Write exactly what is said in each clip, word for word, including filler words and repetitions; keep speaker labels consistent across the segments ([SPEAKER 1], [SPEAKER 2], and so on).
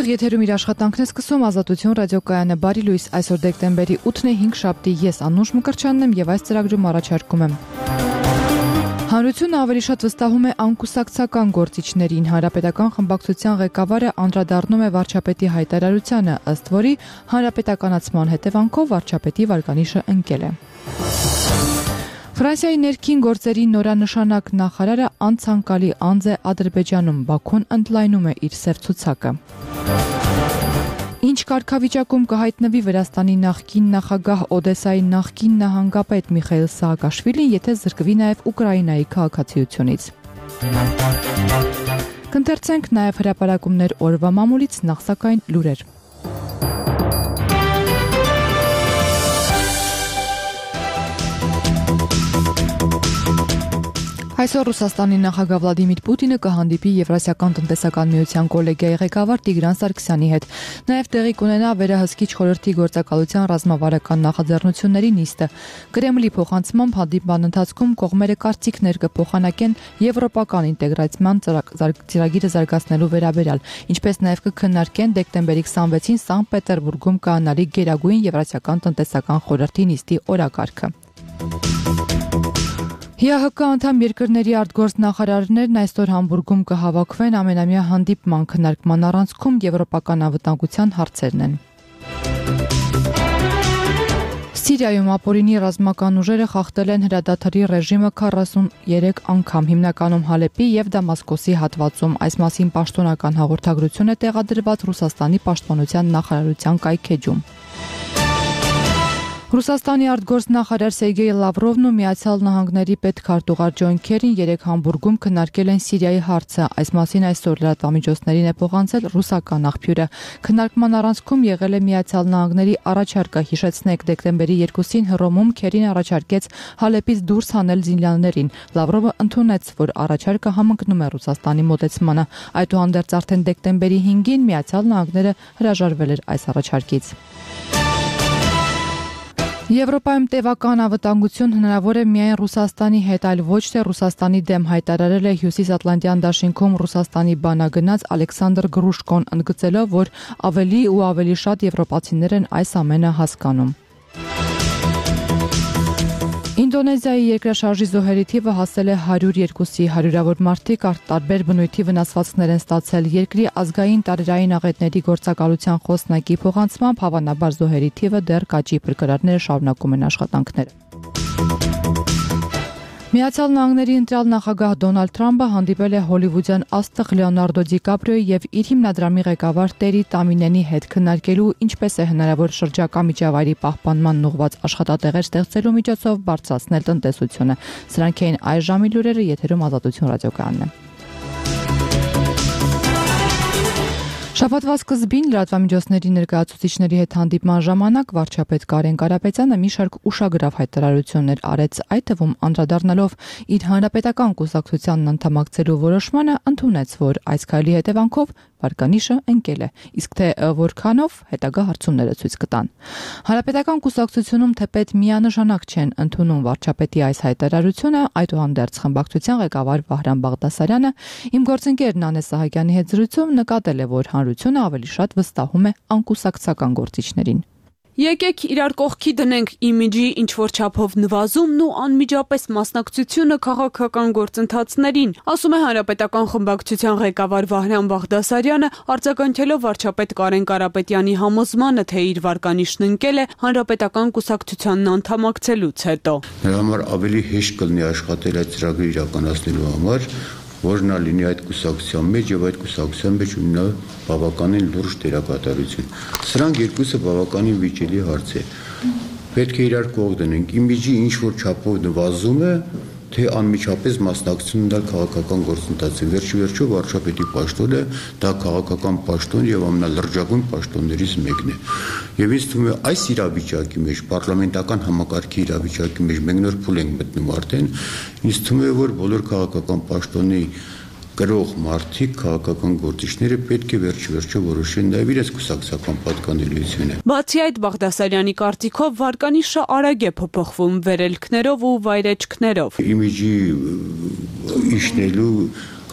[SPEAKER 1] Ուղիղ եթերում իր աշխատանքն է սկսում Ազատություն ռադիոկայանը բարի լույս այսօր դեկտեմբերի ութն է հինգ շաբթի ես Անուշ Մկրտչյանն եմ եւ այս ծրագրում առաջարկում եմ Հանրությունը ավելի շատ վստահում է անկուսակցական գործիչներին Հանրապետական խմբակցության ղեկավարը անդրադառնում է վարչապետի հայտարարությանը ըստ որի հանրապետականացման հետևանքով վարչապետի վարկանիշը ընկել է Ֆրանսիայի ներքին գործերի նորանշանակ նախարարը անցանկալի անձ է Ադրբեջանում Բաքուն ընդլայնում է իր սև ցուցակը Ինչ կարգավիճակում կհայտնվի Վրաստանի նախկին նախագահ Օդեսայի նախկին նահանգապետ Միխայիլ Սաակաշվիլին, եթե զրկվի նաև Ուկրաինայի քաղաքացիությունից։ Կընթերցենք նաև հրապարակումներ օրվա մամուլից, նախ սակայն լուրեր։ Այսօր Ռուսաստանի նախագահ Վլադիմիր Պուտինը կհանդիպի Եվրասիական տնտեսական միության կոլեգիայի ղեկավար Տիգրան Սարգսյանի հետ։ Նաև տեղի կունենա վերահսկիչ խորհրդի գործակալության ռազմավարական նախաձեռնությունների նիստը։ Կրեմլի փոխանցմամբ հանդիպման ընթացքում կողմերը կարծիքներ կփոխանակեն եվրոպական ինտեգրացիան ծրագիրը զարգացնելու վերաբերյալ, ինչպես նաև կքննարկեն դեկտեմբերի քսանվեցին Սանկտ Պետերբուրգում կայանալի Գերագույն Եվրասիական տնտեսական խորհրդի նիստի օրակարգը։ ՀՅՀԿ անդամ երկրների արտգործնախարարներն այսօր Համբուրգում կհավաքվեն ամենամյա հանդիպման քննարկման առանցքում եվրոպական անվտանգության հարցերն են։ Սիրիայում ապօրինի ռազմական ուժերը խախտել են հրադադարի ռեժիմը քառասուններեք անգամ հիմնականում Հալեպի եւ Դամասկոսի հատվածում։ Այս մասին պաշտոնական հաղորդագրություն է տեղադրված Ռուսաստանի պաշտպանության նախարարության կայքեջում։ Ռուսաստանի արտգործնախարար Սերգեյ Լավրովն ու Միացյալ Նահանգների պետքարտուղար Ջոն Քերին երեկ Համբուրգում քննարկել են Սիրիայի հարցը։ Այս մասին այսօր լրատվամիջոցներին է փոխանցել ռուսական աղբյուրը։ Քննարկման առանցքում եղել է Միացյալ Նահանգների առաջարկը։ Հիշեցնենք, դեկտեմբերի երկուսին Հռոմում Քերին առաջարկեց Հալեպից դուրս հանել զինյալներին։ Լավրովը ընդունեց, որ առաջարկը համընկնում է Ռուսաստանի մոտեցմանը։ Այդուհանդերձ արդեն դեկտեմբերի հինգին Միացյալ Նահանգները հրաժարվել էր այս առաջարկից։ Եվրոպայում տևական անվտանգություն հնարավոր է միայն Ռուսաստանի հետ, այլ ոչ թե Ռուսաստանի դեմ, հայտարարել է Հյուսիսատլանտյան դաշինքում Ռուսաստանի բանագնաց Ալեքսանդր Գրուշկոն, ընդգծելով, որ ավելի ու ավելի շատ եվրոպացիներ են այս ամենը հասկանում։ Ինդոնեզիայի երկրաշարժի զոհերի թիվը հասել է հարյուր երկուսի, հարյուրավոր մարդիկ տարբեր բնույթի վնասվածքներ են ստացել։ Երկրի ազգային տարերային աղետների գործակալության խոսնակի փոխանցմամբ հավանաբար զոհերի թիվը դեռ կաճի, փրկարարները շարունակում են աշխատանքները։ Միացյալ Նահանգների ընտրյալ նախագահ Դոնալդ Թրամփը հանդիպել է հոլիվուդյան աստղ Լեոնարդո Դիկապրիոյի եւ իր հիմնադրամի ղեկավար Տերի Տամինենի հետ քննարկելու ինչպես է հնարավոր շրջակա միջավայրի պահպանման ուղղված աշխատատեղեր ստեղծելու միջոցով բարձրացնել տնտեսությունը։ Սրանք էին այս ժամի լուրերը, եթերում Ազատություն ռադիոկայանն է։ Շաբաթվա սկզբին լրատվամիջոցների ներկայացուցիչների հետ հանդիպման ժամանակ վարչապետ Կարեն Կարապետյանը մի շարք ուշագրավ հայտարարություններ արեց, այդ թվում անդրադառնալով իր հանրապետական կուսակցությանն անդամակցելու որոշմանը, ընդունեց, որ այս քայլի հետևանքով վարկանիշը ընկել է, իսկ թե որքանով հետագա հարցումները ցույց կտան։ Հանրապետական կուսակցությունում թեպետ միանշանակ չեն ընդունում վարչապետի այս հայտարարությունը, այդուհանդերձ խմբակցության ղեկավար Վահրամ Բաղդասարյանը իմ գործընկեր Նանե Սահակյանի հետ զրույցում նկատել է, որ հանրությունը ավելի շատ վստահում է անկուսակցական գործիչներին։
[SPEAKER 2] Եկեք իրար կողքի դնենք իմիջի ինչ-որ չափով նվազումն ու անմիջապես մասնակցությունը քաղաքական գործընթացներին, ասում է Հանրապետական խմբակցության ղեկավար Վահրամ Բաղդասարյանը, արձագանքելով վարչապետ Կարեն Կարապետյանի համոզմանը, թե իր վարկանիշն ընկել է Հանրապետական կուսակցությանն անդամակցելուց հետո։
[SPEAKER 3] Նրա համար ավելի հեշտ կլինի աշխատել այդ ծրագրը իրականացնելու համար, որ նա լինի այդ կուսակցության մեջ եւ այդ կուսակցության մեջ ունենա բավականին լուրջ դերակատարություն։ Սրանք երկուսը բավականին վիճելի հարց է։ Պետք է իրար կողք դնենք։ Իմիջի ինչ որ չափով նվազում է, թե անմիջապես մասնակցություն ունենալ քաղաքական գործընթացին։ Վերջի վերջո վարչապետի պաշտոնը դա քաղաքական պաշտոն եւ ամենալրջագույն պաշտոններից մեկն է։ Եվ ինձ թվում է այս իրավիճակի մեջ, պարլամենտական համակարգի իրավիճակի մեջ մենք նոր փուլ ենք մտնում արդեն, ինձ թվում է, որ բոլոր քաղաքական պաշտոնի կրող մարդիկ, քաղաքական գործիչները պետք է վերջ-վերջո որոշեն նաև իրենց կուսակցական պատկանելիությունը։
[SPEAKER 2] Բացի այդ, Բաղդասարյանի կարծիքով վարկանիշը արագ է փոփոխվում վերելքներով ու վայրեջքներով։
[SPEAKER 3] Իմիջի իջնելու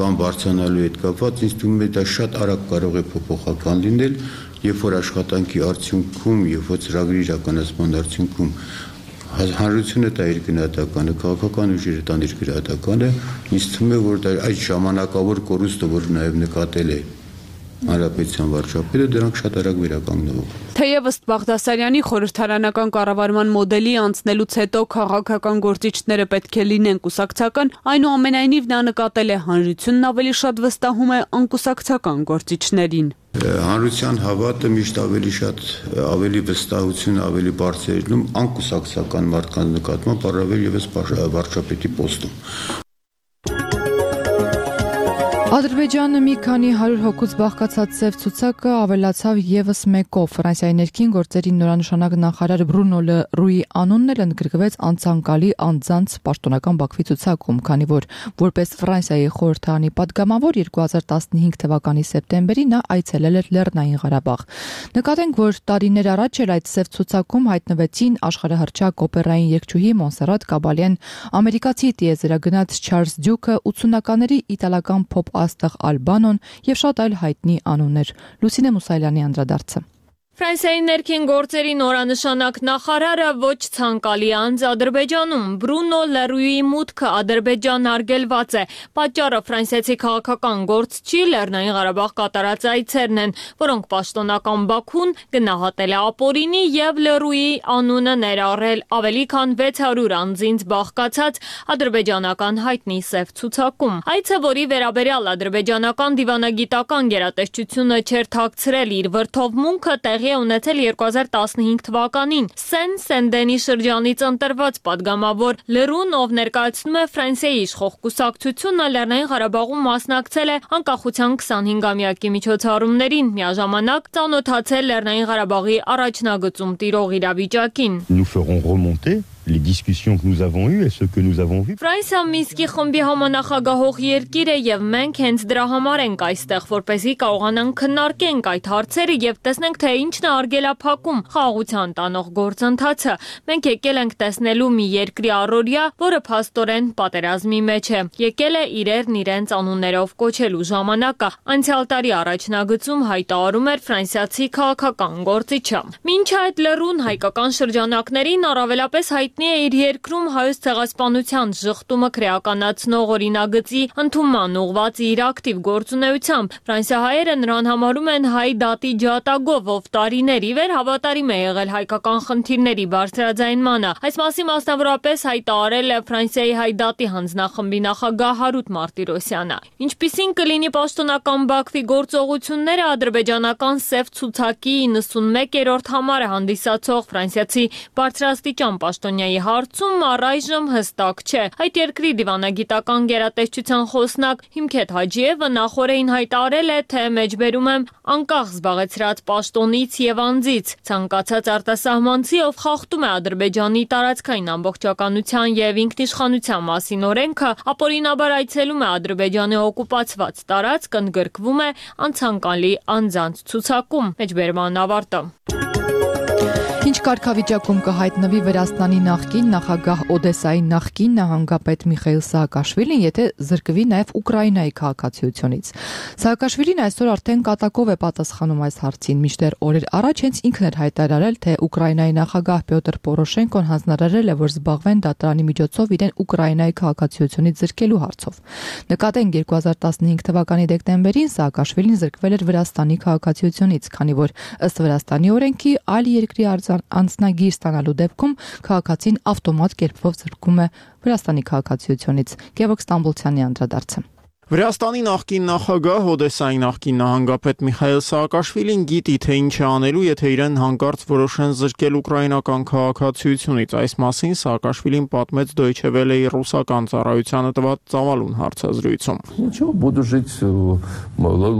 [SPEAKER 3] կամ բարձրանալու հետ կապված ինձ թվում է դա շատ արագ կարող է փոփոխական լինել, երբ որ աշխատանքի արդյունքում, երբ որ ծրագրի իրականացման արդյունքում հանրությունը դա իր գնահատականը, քաղաքական ուժերը տան իր գնահատականը, ինձ թվում է, որ դա այդ ժամանակավոր կորուստը, որ նաև նկատել է Հանրապետության վարչապետը, դրանք շատ արագ վերականգնվող։
[SPEAKER 2] Թեև ըստ Բաղդասարյանի խորհրդարանական կառավարման մոդելի անցնելուց հետո քաղաքական գործիչները պետք է լինեն կուսակցական, այնուամենայնիվ նա նկատել է հանրությունն ավելի շատ վստահում է անկուսակցական գործիչներին։
[SPEAKER 3] Հանրության հավատը միշտ ավելի շատ ավելի վստահություն ավելի բարձր է լինում անկուսակցական մարդկանց նկատմամբ, առավել ևս վարչապետի պոստում։
[SPEAKER 1] Ադրբեջանը մի քանի հարյուր հոգուց բաղկացած սև ցուցակը ավելացավ եւս մեկով։ Ֆրանսիայի ներքին գործերի նորանշանակ նախարար Բրունո Լը Ռուի անունն էլ ընդգրկվեց անցանկալի անձանց պաշտոնական Բաքվի ցուցակում, քանի որ որպես Ֆրանսիայի խորհրդարանի падգամավոր երկու հազար տասնհինգ թվականի սեպտեմբերի նա այցելել էր Լեռնային Ղարաբաղ։ Նկատենք, որ տարիներ առաջ էլ այդ սև ցուցակում հայտնվեցին աշխարհահռչակ օպերային երգչուհի Մոնսերատ Կաբալյան, ամերիկացի տիեզերագնաց Չարլզ Դյուքը, ութսունականների իտալական փոփ Աստղ Ալբանոն եւ շատ այլ հայտնի անուններ։ Լուսինե Մուսայելյանի անդրադարձը։
[SPEAKER 4] Ֆրանսիայի ներքին գործերի նորանշանակ նախարարը ոչ ցանկալի անձ Ադրբեջանում Բրունո Լը Ռուիի մուտքը Ադրբեջան արգելված է։ Պատճառը ֆրանսիացի քաղաքական գործչի Լեռնային Ղարաբաղ կատարած այցերն են, որոնք պաշտոնական Բաքուն գնահատել է ապօրինի եւ Լը Ռուիի անունը ներառել ավելի քան վեց հարյուր անձինց բաղկացած ադրբեջանական հայտնի սև ցուցակում։ Այցը, որի վերաբերյալ ադրբեջանական դիվանագիտական գերատեսչությունը չէր թաքցրել իր վրթովմունքը, տեղի ունեցել երկու հազար տասնհինգ թվականին Սեն Սենդենի շրջանից ընտրված падգամավոր Լրուն, ով ներկայացնում է Ֆրանսիայի իշխող կուսակցությունը, Լեռնային Ղարաբաղում մասնակցել է անկախության քսանհինգամյակի միջոցառումներին, միաժամանակ ծանոթացել Լեռնային Ղարաբաղի առաջնագծում տիրող իրավիճակին։
[SPEAKER 5] Nous ferons remonter les discussions que nous avons eues et ce que nous avons vu.
[SPEAKER 4] Ֆրանսիա Մինսկի խմբի համանախագահող երկիր է եւ մենք հենց դրա համար ենք այստեղ, որպեսզի կարողանանք քննարկենք այդ հարցերը եւ տեսնենք, թե ինչն է արգելափակում խաղաղության տանող գործընթացը։ Մենք եկել ենք տեսնելու մի երկրի առօրյա, որը փաստորեն պատերազմի մեջ է։ Եկել է իրերն իրենց անուններով կոչելու ժամանակը։ Անցյալ տարի առաջնագծում հայտարարում էր ֆրանսիացի քաղաքական գործիչը։ Մինչ այդ Լրուն հայկական շրջանակներին առավելապես հայտնի է իր երկրում հայոց ցեղասպանության շղթումը քրեականացնող օրինագծի ընդունման ուղղված իր ակտիվ գործունեությամբ։ Ֆրանսիահայերը նրան համարում են հայ դատի ջատագով, ով տարիների վեր հավատարիմ է եղել հայկական խնդիրների բարձրաձայնմանը։ Այս մասին մասնավորապես հայտարարել է Ֆրանսիայի հայ դատի հանձնախմբի նախագահ Հարութ Մարտիրոսյանը։ Ինչպիսին կլինի պաշտոնական Բաքվի գործողությունները, ադրբեջանական սև ցուցակի իննսունմեկերորդ համարը հանդիսացող ֆրանսիացի բարձրաստիճան պաշտոնյայի հարցում առայժմ հստակ չէ։ Այդ երկրի դիվանագիտական գերատեսչության խոսնակ Հիմքեթ Հաջիևը նախորդին հայտարարել է, թե մեջբերում եմ անկախ զբաղեցրած պաշտոնից եւ անձից։ Ցանկացած արտասահմանցի, ով խախտում է Ադրբեջանի տարածքային ամբողջականության եւ ինքնիշխանության մասին օրենքը, ապօրինաբար այցելում է Ադրբեջանի օկուպացված տարածք, ընդգրկվում է անցանկալի անձանց ցուցակում։ Մեջբերման ավարտը։
[SPEAKER 1] Ինչ կարգավիճակում կհայտնվի Վրաստանի նախկին նախագահ Օդեսայի նախկին նահանգապետ Միխայիլ Սահակաշվիլին, եթե զրկվի նաև Ուկրաինայի քաղաքացիությունից։ Սահակաշվիլին այսօր արդեն կատակով է պատասխանում այս հարցին, մինչդեռ օրեր առաջ հենց ինքն էր հայտարարել, թե Ուկրաինայի նախագահ Պյոտր Պորոշենկոն հանձնարարել է, որ զբաղվեն դատարանի միջոցով իրեն Ուկրաինայի քաղաքացիությունից զրկելու հարցով։ Նկատենք երկու հազար տասնհինգ թվականի դեկտեմբերին Սահակաշվիլին զրկվել էր Վրաստանի քաղաքացիությունից, քանի որ ըստ Վրաստանի օրենքի այլ երկրի անձնագիր ստանալու դեպքում քաղաքացին ավտոմատ կերպով զրկվում է Վրաստանի քաղաքացիությունից։ Գևորգ Ստամբոլցյանի անդրադարձը։
[SPEAKER 6] Վրաստանի նախկին նախագահ Օդեսայի նախկին նահանգապետ Միխայիլ Սահակաշվիլին գիտի, թե ինչ է անելու, եթե իրեն հանկարծ որոշեն զրկել ուկրաինական քաղաքացիությունից։ Այս մասին Սահակաշվիլին պատմեց Deutsche Welle-ի ռուսական ծառայությանը տված ծավալուն հարցազրույցում։
[SPEAKER 7] Ничего, буду жить в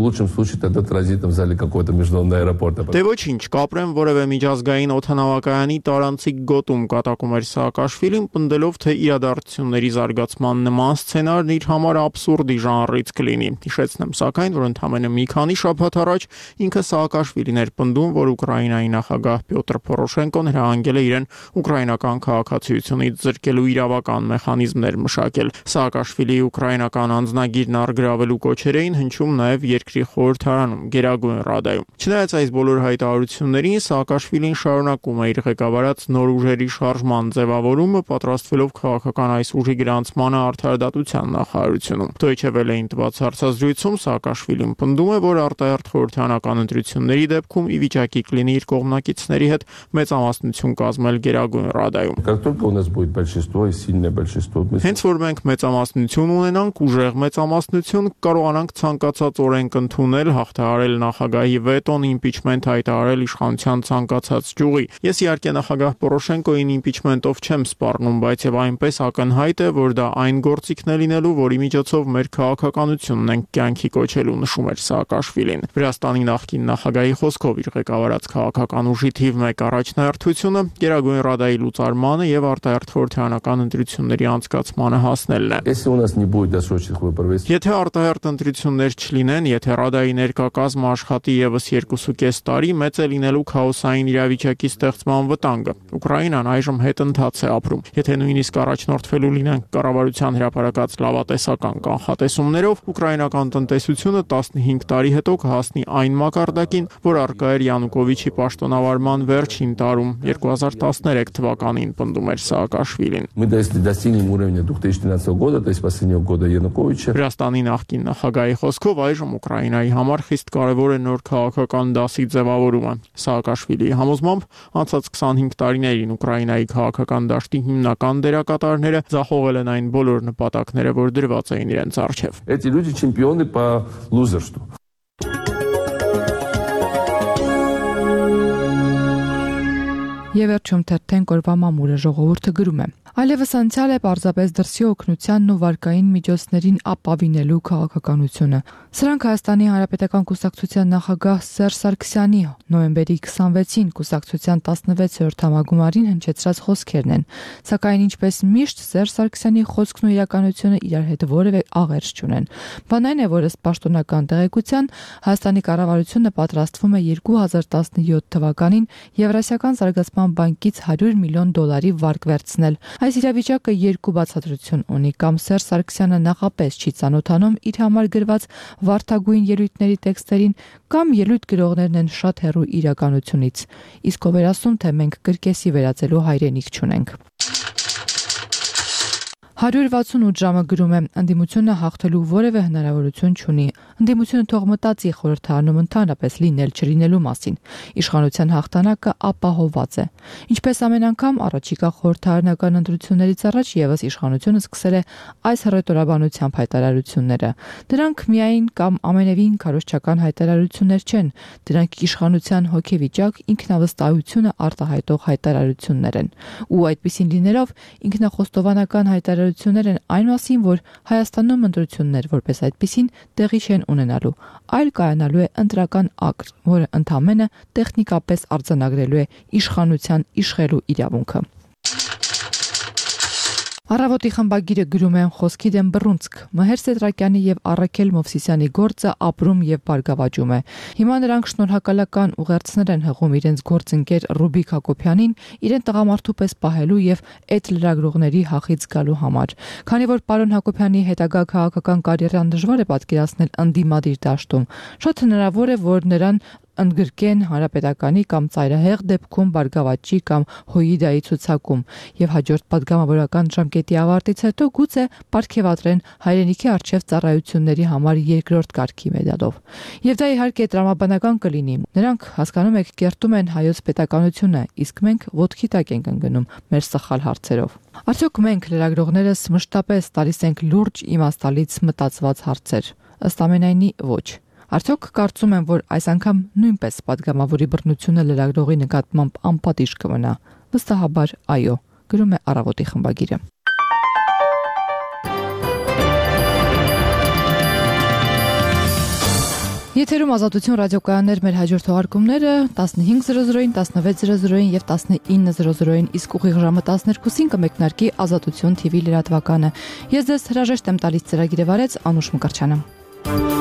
[SPEAKER 7] лучшем случае тогда транзитом в зале какого-то международного аэропорта.
[SPEAKER 6] Դե ոչինչ, կապրեմ որևէ միջազգային օդանավակայանի տարանցիկ գոտում, կատակում էր Սահակաշվիլին, պնդելով, թե իրադարձությունների զարգացման նման սցենարն իր համար աբսուրդի ժանր անռիթ կլինի։ Հիշեցնեմ սակայն, որ ընդամենը մի քանի շաբաթ առաջ ինքը Սաակաշվիլին էր պնդում, որ Ուկրաինայի նախագահ Պյոտր Պորոշենկոն հրահանգել է իրեն ուկրաինական քաղաքացիությունից զրկելու իրավական մեխանիզմներ մշակել։ Սաակաշվիլիի ուկրաինական անձնագիրն առգրավելու կոչեր էին հնչում նաև երկրի խորհրդարանում, Գերագույն Ռադայում։ Չնայած այս բոլոր հայտարարություններին, Սաակաշվիլին շարունակում է իր ղեկավարած նոր ուժերի շարժման ձևավորումը, պատրաստվելով քաղաքական այս ուժի գրանցմանը արդարադատության նախարարությունում։ Deutsche Welle-ին տված հարցազրույցում Սաակաշվիլին պնդում է, որ արտահերթ խորհրդարանական ընտրությունների դեպքում ի վիճակի կլինի իր կողմնակիցների հետ մեծամասնություն կազմել Գերագույն Ռադայում։ Հենց որ մենք մեծամասնություն ունենանք, ուժեղ մեծամասնություն, կարողանանք ցանկացած օրենք ընդունել, հաղթահարել նախագահի վետոն, իմպիչմենտ հայտարարել իշխանության ցանկացած ճյուղի։ Ես իհարկե նախագահ Պորոշենկոյին իմպիչմենտով չեմ սպառնում, բայց եւ այնպես ակնհայտ է, որ դա այն գործիքն է լինելու, որի միջոցով մեր քաղաքականությունն ենք կյանքի կոչելու, նշում էր Սաակաշվիլին։ Վրաստանի նախկին նախագահի խոսքով իր ղեկավարած քաղաքական ուժի թիվ մեկ առաջնահերթությունը Գերագույն Ռադայի լուծարմանը եւ արտահերթ խորհրդարանական ընտրությունների անցկացմանը հասնելն է։ Եթե արտահերթ ընտրություններ չլինեն, եթե Ռադայի ներկա կազմը աշխատի եւս երկուսուկես տարի, մեծ է լինելու քաոսային իրավիճակի ստեղծման վտանգը։ Ուկրաինան այժմ հետընթաց է ապրում։ Եթե նույնիսկ առաջնորդվելու լինեն կառավարության հրապարակած լավատեսական կանխատեսումներով, ուկրաինական տնտեսությունը տասնհինգ տարի հետո կհասնի այն մակարդակին, որ առկա էր Յանուկովիչի պաշտոնավարման վերջին տարում երկու հազար տասներեք թվականին, պնդում էր Սաակաշվիլին։ Վրաստանի նախկին նախագահի խոսքով այժմ Ուկրաինայի համար խիստ կարևոր է նոր քաղաքական դասի ձևավորումը։ Սաակաշվիլիի համոզմամբ անցած քսանհինգ տարիներին Ուկրաինայի քաղաքական դաշտի հիմնական դերակատարները ձախողել են այն բոլոր նպատակները, որ դրված էին իրենց առջև։
[SPEAKER 7] Эти люди чемпионы по лузерству.
[SPEAKER 1] Եվ վերջում թերթեն կորվա մամուլը ժողովուրդը գրում է. Այլևս անցյալ է պարզապես դրսի օգնությանն ու վարկային միջոցներին ապավինելու քաղաքականությունը։ Սրանք Հայաստանի Հանրապետական կուսակցության նախագահ Սերժ Սարգսյանի նոյեմբերի քսանվեցին կուսակցության տասնվեցերորդ համագումարին հնչեցրած խոսքերն են։ Սակայն ինչպես միշտ Սերժ Սարգսյանի խոսքն ու իրականությունը իրար հետ որևէ աղերս չունեն։ Բան այն է, որ ըստ պաշտոնական տեղեկության Հայաստանի կառավարությունը պատրաստվում է երկու հազար տասնյոթ թվականին Եվրասիական զարգացման բանկից հարյուր միլիոն դոլարի վարկ վերցնել։ Այս իրավիճակը երկու բացատրություն ունի, կամ Սերժ Սարգսյանը նախապես չի ծանոթանում իր համար գրված վարդագույն ելույթների տեքստերին, կամ ելույթ գրողներն են շատ հեռու իրականությունից։ Իսկ ով էր ասում, թե մենք կրկեսի վերածելու հայրենիք չունենք։ հարյուր վաթսունութ ժամը գրում է. ընդդիմությունը հաղթելու որևէ հնարավորություն չունի։ Ընդդիմությունը թող մտածի խորհրդարանում ընդհանրապես լինել չլինելու մասին։ Իշխանության հաղթանակը ապահովված է։ Ինչպես ամեն անգամ առաջիկա խորհրդարանական ընտրություններից առաջ եւս իշխանությունը սկսել է այս հռետորաբանությամբ հայտարարությունները։ Դրանք միայն կամ ամենևին քարոզչական հայտարարություններ չեն, դրանք իշխանության հոգեվիճակ, ինքնավստահությունը արտահայտող հայտարարություններ են։ Ու այդպիսին լինելով ինքնախոստովանական հայտարարություններ են այն մասին, որ Հայաստանում ընտրություններ որպես այդպիսին տեղի չեն ունենալու, այլ կայանալու է ընտրական ակտ, որը ընդամենը տեխնիկապես արձանագրելու է իշխանության իշխելու իրավունքը։ Առավոտի խմբագիրը գրում է խոսքի դեմ բռունցք։ Մհեր Սեդրակյանի եւ Առաքել Մովսիսյանի գործը ապրում եւ բարգավաճում է։ Հիմա նրանք շնորհակալական ուղերձներ են հղում իրենց գործընկեր Ռուբիկ Հակոբյանին իրեն տղամարդու պես պահելու եւ այդ լրագրողների հախից գալու համար։ Քանի որ պարոն Հակոբյանի հետագա քաղաքական կարիերան դժվար է պատկերացնել ընդդիմադիր դաշտում, շատ հնարավոր է, որ նրան ընդգրկեն Հանրապետականի կամ ծայրահեղ դեպքում Բարգավաճի կամ Հոիդայի ցուցակում եւ հաջորդ պատգամավորական ժամկետի ավարտից հետո գուցե պարգևատրեն հայրենիքի արչեւ ծառայությունների համար երկրորդ կարգի մեդալով։ Եվ դա իհարկե տրամաբանական կլինի։ Նրանք, հասկանում եք, կերտում են հայոց պետականությունը, իսկ մենք ոտքի տակ ենք ընկնում մեր սխալ հարցերով։ Արդյոք մենք լրագրողներս մշտապես տալիս ենք լուրջ իմաստալից մտածված հարցեր։ Ըստ ամենայնի ոչ։ Արդյոք կարծում եմ, որ այս անգամ նույնպես պատգամավորի բռնությունը լրագրողի նկատմամբ անպատիժ կմնա։ Վստահաբար այո, գրում է Առավոտի խմբագիրը։ Եթերում Ազատություն ռադիոկայաններ, մեր հաջորդ թողարկումները տասնհինգ զրո զրոին, տասնվեց զրո զրոին եւ տասնինը զրո զրոին, իսկ ուղիղ ժամը տասներկուսին կմեկնարկի Ազատություն թիվի լրատվականը։ Ես ձեզ հրաժեշտ եմ տալիս ծրագիրը վարեց Անուշ Մկրտչյանը։